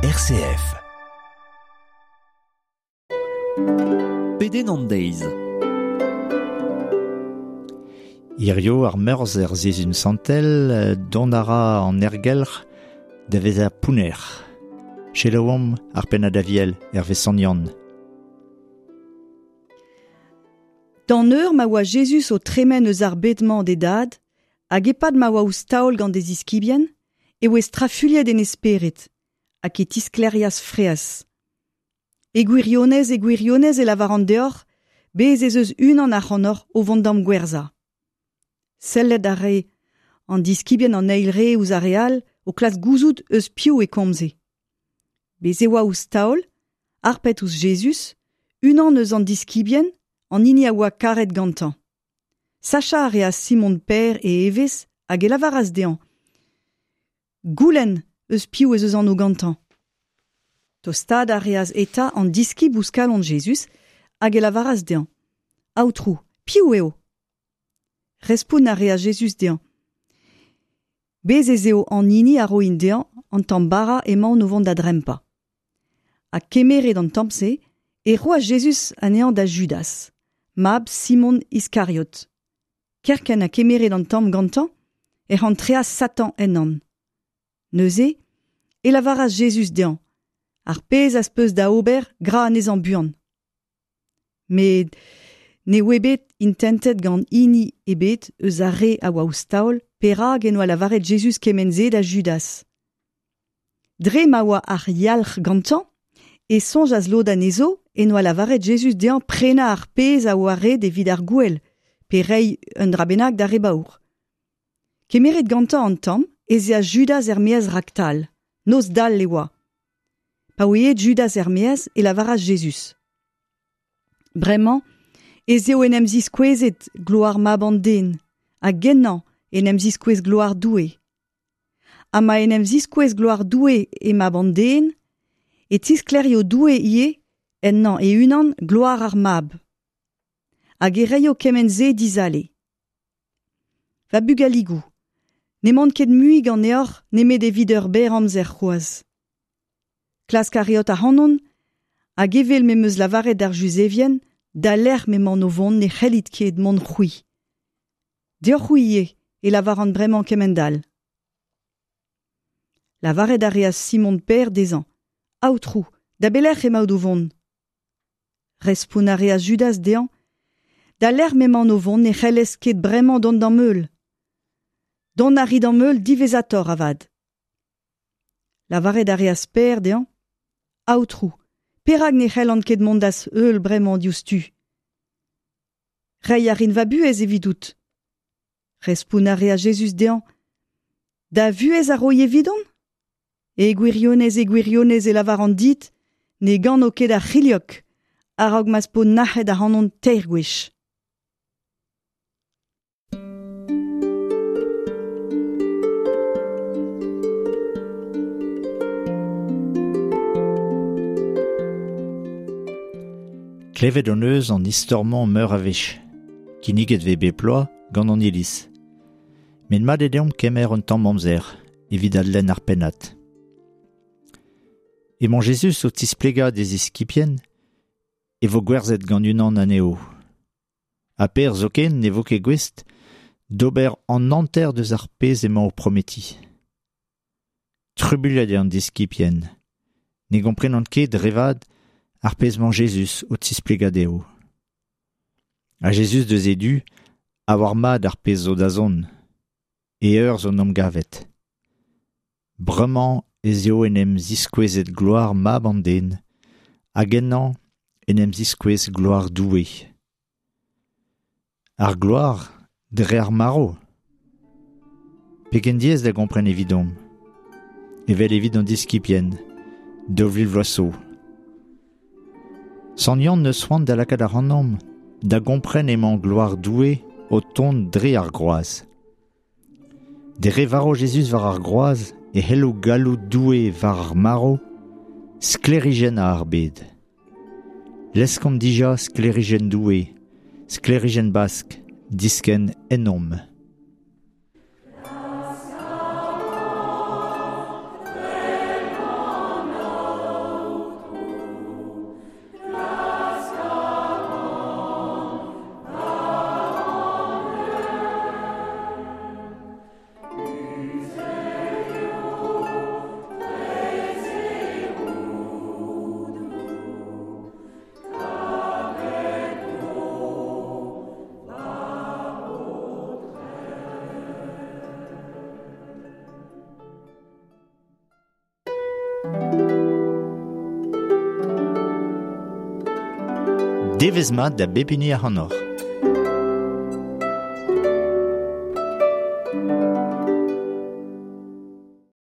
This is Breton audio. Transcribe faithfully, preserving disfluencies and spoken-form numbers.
R C F. Pedenn an deiz. Hirio ar meurzh er sizhun santel, dont a ra an ergelc'h da vezañ pounner. Selaouomp ar pennad aviel hervez Sant Yann. D'an eur ma oa Jezuz o tremen eus ar bed-mañ d'e dad, hag e-pad ma oa ouzh taol gant e ziskibien, e oa strafuilhet en e spered, hag e tisklêrias fraezh. E gwirionez, e gwirionez e lavaran deoc'h, bez ez eus unan ac'hanoc'h o vont d'am gwerzhañ. Sellet a rae an diskibien an eil re ouzh ar re all o klask gouzout eus piv e komze. Bez e oa ouzh taol, harpet ouzh Jezuz, unan eus an diskibien, an hini a oa karet gantañ. Sachañ a reas Simon Pêr e evezh hag e lavaras dezhañ. Goulenn eus piv ez eus anv gantañ. Tostaat a reas eta an diskib ouzh kalon Jezuz hag e lavaras dezhañ. Aotrou, piv eo? Respont a reas Jezuz dezhañ. Bez ez eo an hini a roin dezhañ an tamm bara emaon o vont da drempañ. Ha kemeret an tamm-se e roas Jezuz anezhañ da Judas, mab Simon Iskariot. Kerkent ha kemeret an tamm gantañ ec'h antreas Satan ennañ. Neuze e lavaras Jezuz dezhañ, ar pezh az peus da ober gra anezhañ buan. Met ne oa bet intentet gant hini ebet eus ar re a oa ouzh taol perak en doa lavaret Jezuz kement-se da Judas. Dre ma oa ar yalc'h gantañ e soñjas lod anezho en doa lavaret Jezuz dezhañ prenañ ar pezh a oa ret evit ar gouel, pe reiñ un dra bennak d'ar re baour. Kemeret gantañ an tamm ez eas Judas er-maez raktal, noz dall e oa. Pa oa aet Judas er-maez e lavaras Jezuz. Bremañ ez eo en em ziskouezet gloar mab an den, hag ennañ en em ziskouez gloar Doue. Ha ma en em ziskouez gloar Doue e mab an den, e tisklerio Doue ivez ennañ e-unan gloar ar mab. Hag e reio kement-se dizale. Va bugaligoù, n'emaon ket mui ganeoc'h nemet evit ur berr amzer c'hoazh. Klask a reot ac'hanon, hag evel m'em eus lavaret d'ar Juzevien, da lec'h m'emaon o vont ne c'hellit ket mont c'hwi. Deoc'h-c'hwi ivez e lavaran bremañ kement-all. Lavaret a reas Simon Pêr dezhañ. Aotrou, da belec'h emaout o vont? Respont a reas Judas dezhañ. Da lec'h m'emaon o vont ne c'hellez ket bremañ dont d'am heul. Dont a ri d'am heul diwezhatoc'h avat. Lavaret a reas Pêr dezhañ. Aotrou, perak ne c'hellan ket mont d'az heul bremañ diouzhtu? Reiñ a rin va buhez evidout. Respont a reas Jezuz dezhañ. Da vuhez a roi evidon? E gwirionez, e gwirionez e lavaran dit, ne gano ket ar c'hilhog, a-raok ma'z po nac'het ac'hanon teir gwech. Klevet hon eus an istor-mañ meur a wech, kinniget vez bep bloaz gant an iliz. Met mat eo deomp kemer un tamm amzer evit adlenn ar pennad. Emañ Jezuz o tisplegañ d'e ziskibien e vo gwerzhet gant unan anezho. Ha Pêr zoken ne vo ket gouest d'ober an hanter deus ar pezh emañ o prometiñ. Trubuilhet eo an diskibien. Ne gomprenont ket dre vat ar pezh emañ Jezuz o tisplegañ dezho. Ha Jezuz deus e du a oar mat ar pezh zo da zont, e eur zo n'omp gavet. Bremañ ez eo en em ziskouezet gloar mab an den, hag ennañ en em ziskouez gloar Doue. Ar gloar dre ar marv. Pegen diaes da gompren evidomp, evel evit an diskibien, daou vil vloaz zo. Sant Yann neus c'hoant da lakaat ac'hanomp da gompren emañ gloar Doue o tont dre ar groaz. Dre varv Jezuz war ar groaz e c'hello galloud Doue war ar marv, sklêrijenn ar bed. Leskomp dija sklêrijenn Doue, sklêrijenn Bask, diskenn ennomp. Devezh mat da bep hini ac'hanoc'h.